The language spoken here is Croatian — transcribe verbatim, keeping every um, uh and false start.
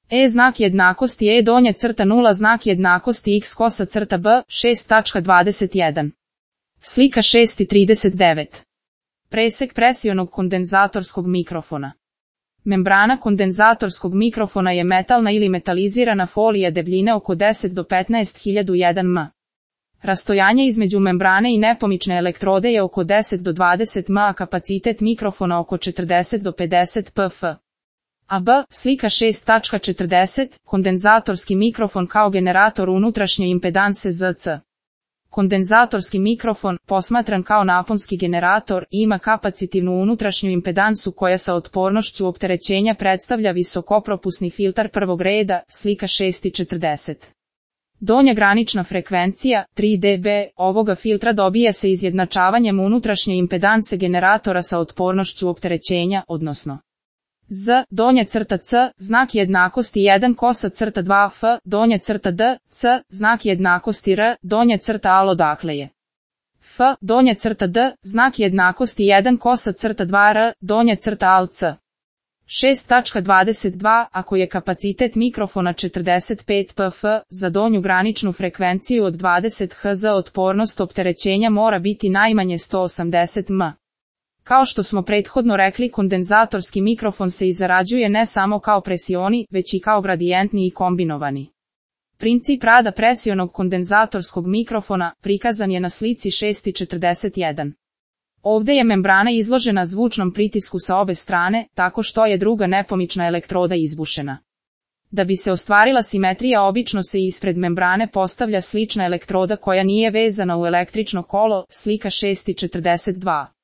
E znak jednakosti E donje crta nula znak jednakosti X kosa crta B, šest tačka dvadeset jedan. Slika šest trideset devet. Presek presionog kondenzatorskog mikrofona. Membrana kondenzatorskog mikrofona je metalna ili metalizirana folija debljine oko deset do petnaest hiljada jedan metara. Rastojanje između membrane i nepomične elektrode je oko deset do dvadeset metara, a kapacitet mikrofona oko četrdeset do pedeset pf. A B, slika šest tačka četrdeset, kondenzatorski mikrofon kao generator unutrašnje impedanse Z C. Kondenzatorski mikrofon, posmatran kao naponski generator, ima kapacitivnu unutrašnju impedansu koja sa otpornošću opterećenja predstavlja visokopropusni filtar prvog reda, slika šest četrdeset. Donja granična frekvencija, tri decibela, ovoga filtra dobija se izjednačavanjem unutrašnje impedanse generatora sa otpornošću opterećenja, odnosno Z, donja crta C, znak jednakosti jedan kosa crta dva F, donja crta D, C, znak jednakosti R, donja crta Al odakle je F, donja crta D, znak jednakosti jedan kosa crta dva R, donja crta Al C. šest tačka dvadeset dva, ako je kapacitet mikrofona četrdeset pet pf, za donju graničnu frekvenciju od dvadeset hertza otpornost opterećenja mora biti najmanje sto osamdeset metara. Kao što smo prethodno rekli, kondenzatorski mikrofon se izrađuje ne samo kao presioni, već i kao gradijentni i kombinovani. Princip rada presionog kondenzatorskog mikrofona prikazan je na slici šest četrdeset jedan. Ovde je membrana izložena zvučnom pritisku sa obe strane, tako što je druga nepomična elektroda izbušena. Da bi se ostvarila simetrija, obično se ispred membrane postavlja slična elektroda koja nije vezana u električno kolo, slika šest četrdeset dva.